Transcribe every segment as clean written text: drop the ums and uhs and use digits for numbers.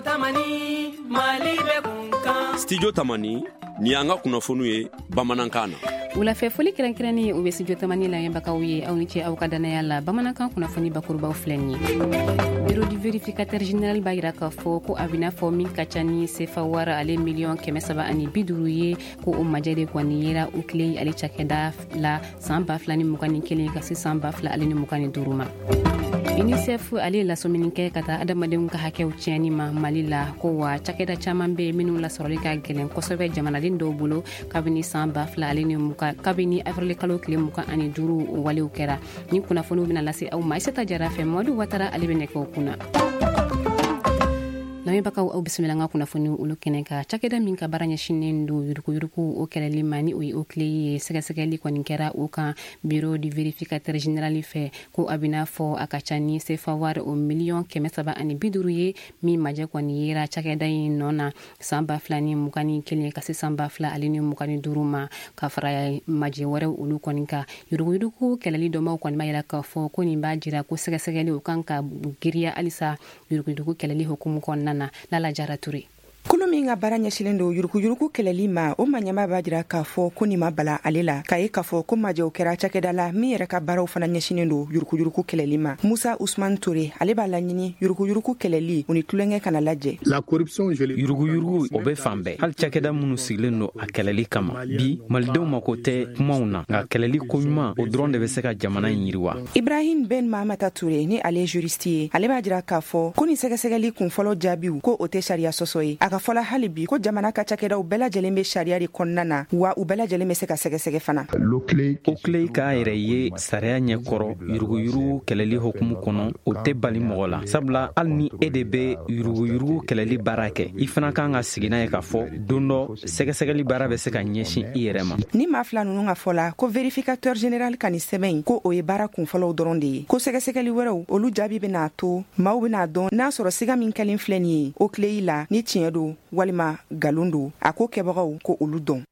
Tamani, Mali bɛ kunkan. Studio Tamani, ni y'an ka kunnafoniw ye bamanankan na. Wulafɛ foli kɛrɛnkɛrɛnnen, o bɛ Studio Tamani lamɛnbagaw ye. Aw ni ce aw ka danaya la. Bamanankan kunnafoni bakurubaw filɛ nin ye. Bureau du vérificateur général b'a yira k'a fɔ ko a bɛna fɔ min ka ca ni sefa wari ale miliyɔn 350 ye, ko o majɛ de kɔni yera OCLEI ale cakɛda la san 2021 ka se san 2025 ma. UNICEF ale ye lasɔmini kɛ ka taa adamadenw ka hakɛw tiɲɛni ma Mali la, ko wa cakɛda caman bɛ minnu lasɔrɔli ka gɛlɛn kosɛbɛ jamanaden dɔw bolo kabini san 2020, kabini avril kalo tile 25 o walew kɛra. Ni kunnafoniw bɛna lase aw ma Isata Jara fɛ. Mamadu Watara ale bɛ nɛgɛw kunna. Lamɛnbagaw, aw bisimila an ka kunnafoni olu kɛnɛ kan. Cakɛda min ka baara ɲɛsinnen don yuruguyurugu o kɛlɛli ma, ni o ye OCLEI ye, sɛgɛsɛgɛli kɔni kɛra o kan bureau du vérificateur général fɛ, ko a bɛna fɔ a ka ca ni sefa wari o miliyɔn 350 ye min majɛ kɔni yera cakɛda in nɔ na san 2021 ka se san 2025 ma, ka fara majɛ wɛrɛw olu kɔni kan. Yuruguyurugu kɛlɛli dɔnbaw kɔni b'a yira k'a fɔ ko nin b'a jira ko sɛgɛsɛgɛli o kan ka giriya halisa yuruguyurugu kɛlɛli hukumu kɔnɔna na. Lala Jara Ture. Kulu min ka baara ɲɛsilen don yuruguyurugu kɛlɛli ma, o ma ɲɛma b'a jira k'a fɔ ko nin ma bala ale la k'a ye k'a fɔ ko majɛw kɛra cakɛda la min yɛrɛ ka baaraw fana ɲɛsinnen don yuruguyurugu kɛlɛli ma. Musa Usman Ture ale b'a laɲini yuruguyurugu kɛlɛli u ni tulonkɛ kana lajɛ. Yuruguyurugu, o bɛ fan bɛɛ, hali cakɛda minnu sigilen don a kɛlɛli kama. Bi, malidenw mako tɛ kumaw na, nka kɛlɛli koɲuman, o dɔrɔn de bɛ se ka jamana in yiriwa. Ibrahim Ben Mahamata Ture, ni ale juriste ye, ale b'a jira k'a fɔ ko nin sɛgɛsɛgɛli kunfɔlɔ jaabiw, ko o tɛ sariya sɔsɔ ye. A ka fɔla hali bi ko jamana ka cakɛdaw bɛɛ lajɛlen bɛ sariya de kɔnɔna na, wa u bɛɛ lajɛlen bɛ se ka sɛgɛsɛgɛ fana. OCLEI k'a yɛrɛ ye sariya ɲɛkɔrɔ yuruguyurugu kɛlɛli hukumu kɔnɔ, o tɛ bali mɔgɔ la, sabula hali ni e de bɛ yuruguyurugu kɛlɛli baara kɛ, i fana kan ka sigi n'a ye k'a fɔ don dɔ sɛgɛsɛgɛli baara bɛ se ka ɲɛsin i yɛrɛ ma. Ni maa fila ninnu ka fɔ la, ko vérificateur général ka nin sɛbɛn in, ko o ye baara kunfɔlɔw dɔrɔn de ye, ko sɛgɛsɛgɛli wɛrɛw olu jaabi bɛna to maaw bɛna dɔn n'a sɔrɔ siga min kɛlen filɛ nin ye OCLEI la, ni tiɲɛ don walima galon don, a ko kɛbagaw ko olu dɔn.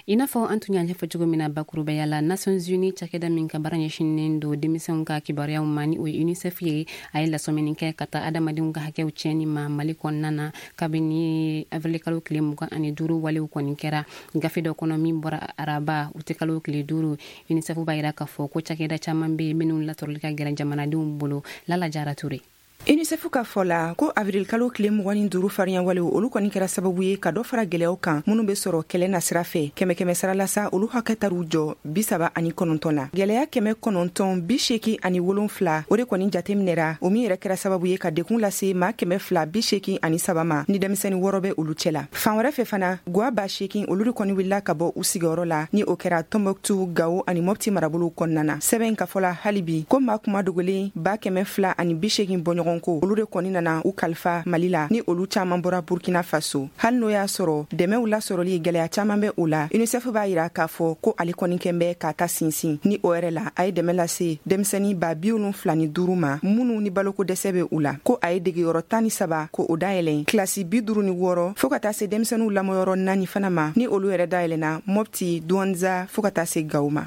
I n'a fɔ an tun y'a ɲɛfɔ cogo min na bakurubaya la, Nations Unies cakɛda min ka baara ɲɛsinnen don denmisɛnw ka kibaruyaw ma, ni o ye UNICEF ye, a ye lasɔmini kɛ ka taa adamadenw ka hakɛw tiɲɛni ma Mali kɔnɔna na kabini avril kalo tile 25 walew kɔni kɛra. Gafe dɔ kɔnɔ min bɔra araba utikalo tile 5, UNICEF b'a yira k'a fɔ ko cakɛda caman bɛ yen minnu lasɔrɔli ka gɛlɛn jamanadenw bolo. Lala Jara Ture. UNICEF ka fɔ la ko avril kalo tile 25 fariɲawalew olu kɔni kɛra sababu ye ka dɔ fara gwɛlɛyaw kan minnu be sɔrɔ kɛlɛ na sira fɛ. Kɛmɛ kɛmɛ sara la sa, olu hakɛ tar'u jɔ 39 la. Gwɛlɛya 987, o de kɔni jateminɛra, o min yɛrɛ kɛra sababu ye ka dekun lase maa 283 ma, ni denmisɛni 6 bɛ olu cɛ la. Fan wɛrɛ fɛ fana, gwa 8000, olu de kɔni wulila ka bɔ u sigiyɔrɔ la, ni o kɛra Tɔnbɔkutu, Gawo ani Mɔpti marabolow kɔnɔna na. Sɛbɛn ka fɔ la hali bi ko maa kuma dogolen 280,000 bɔɲɔgɔn ko, olu de kɔni nana u kalifa Mali la, ni olu caaman bɔra Burkina Faso. Hali n'o y'a sɔrɔ dɛmɛw lasɔrɔli gwɛlɛya caaman bɛ o la, UNICEF b'a yira k'a fɔ ko ale kɔni kɛn bɛ k'a ta sinsin, ni o yɛrɛ la a ye dɛmɛ lase denmisɛni 75,000 ma minnu ni baloko dɛsɛ bɛ u la, ko a ye degeyɔrɔ 13 ko o dayɛlɛn, kilasi 56 fɔɔ ka taa se denmisɛnninw lamɔyɔrɔ 4 fana ma, ni olu yɛrɛ dayɛlɛnna Mɔpti, Duwanza fɔɔ ka taa se Gawo ma.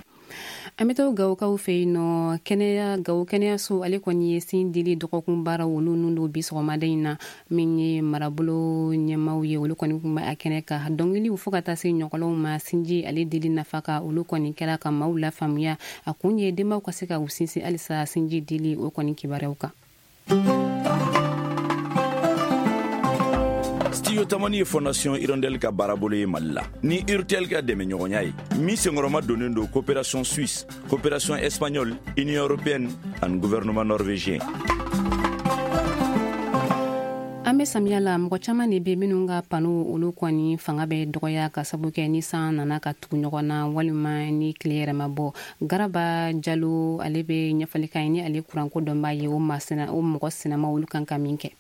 An bɛ to Gawokaw fɛ yen nɔ. Kɛnɛya, Gawo kɛnɛyaso ale kɔni ye sin dili dɔgɔkun baaraw olu nun don bi sɔgɔmada in na. Min ye marabolo ɲɛmaw ye, olu kɔni tun bɛ a kɛnɛ kan. Dɔnkiliw fo ka taa se ɲɔgɔlɔnw ma sinji ale dili nafa kan, olu kɔni kɛra ka maaw lafaamuya. A kun ye denbaw ka se ka u sinsin halisa sinji dili o kɔni kibaruyaw kan. Studio Tamani ye Fondation Hirondelle ka baarabolo ye Mali la ni Urtel ka dɛmɛɲɔgɔnya ye, min senkɔrɔma donnen don coopération suisse, coopération espagnole, Union européenne ani gouvernement norvégien. An bɛ samiya la, mɔgɔ caman de bɛ minnu ka pano olu kɔni fanga bɛ dɔgɔya ka sabu kɛ ni san nana ka tugu ɲɔgɔn na walima ni tile yɛrɛ ma bɔ. Garaba Jalo ale bɛ ɲɛfɔli kan ye, ni ale kuranko dɔnbaa ye, o masina o mɔgɔ sinama olu kan ka min kɛ.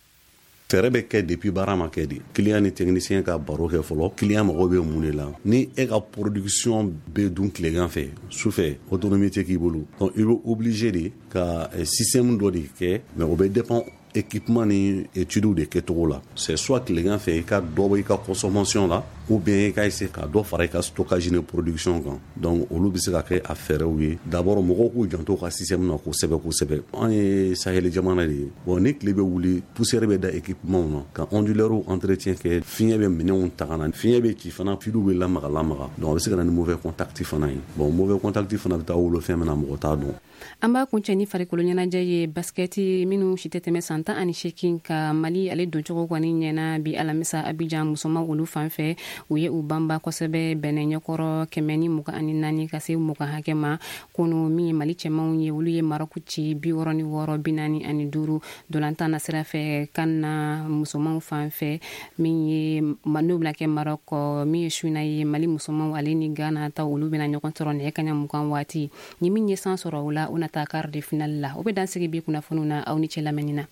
Fɛɛrɛ bɛ kɛ depuis baara ma kɛ de, client ni technicien ka baro kɛ fɔlɔ, client mago bɛ mun de la. Ni e ka production bɛ dun tilegan fɛ, su fɛ autonomie tɛ k'i bolo, donc i bɛ obligé de ka système dɔ de kɛ, mais o bɛ dépend. Équipement ni études de kɛcogo la, c'est soit tilegan fɛ i ka dɔ bɔ i ka consommation la, ou bien i ka essayer ka dɔ fara i ka stockage ni production kan. Donc olu bɛ se ka kɛ a fɛɛrɛw ye. D'abord, mɔgɔw k'u janto u ka système na kosɛbɛ kosɛbɛ. An ye sahel jamana de ye. Bon, ni tile bɛ wuli, poussière bɛ da équipement na, ka onduleur entretien kɛ, fiɲɛ bɛ minɛnw ta ka na, fiɲɛ bɛ ci fana, filiw bɛ lamaga lamaga. Donc a bɛ se ka na ni mauvais contact fana ye. Bon, mauvais contact fana bɛ taa wolo fɛn min na, mɔgɔ t'a dɔn. An b'a kuncɛ ni farikolo ɲɛnajɛ ye. Basikɛti minnu si tɛ tɛmɛ san 18 ka, Mali ale doncogo kɔni ɲɛna bi alamisa Abijan. Musoman olu fan fɛ, u ye u banba kosɛbɛ Bɛnɛ ɲɛkɔrɔ, 124 ka se 20 hakɛ ma. Kunu, min ye Mali cɛmanw ye, olu ye Marɔku ci 66 45. Dolantan na sira fɛ, kan na musomanw fan fɛ, min ye n'o bɛna kɛ Marɔk, min ye su na ye, Mali musomanw ale ni Gana ta, olu bɛna ɲɔgɔn sɔrɔ nɛgɛ kaɲa 20 waati. Ni min ye san sɔrɔ o la, o na taa quart de finale la. O bɛ dan sigi bi kunnafoniw na. Aw ni cɛ lamɛnni na.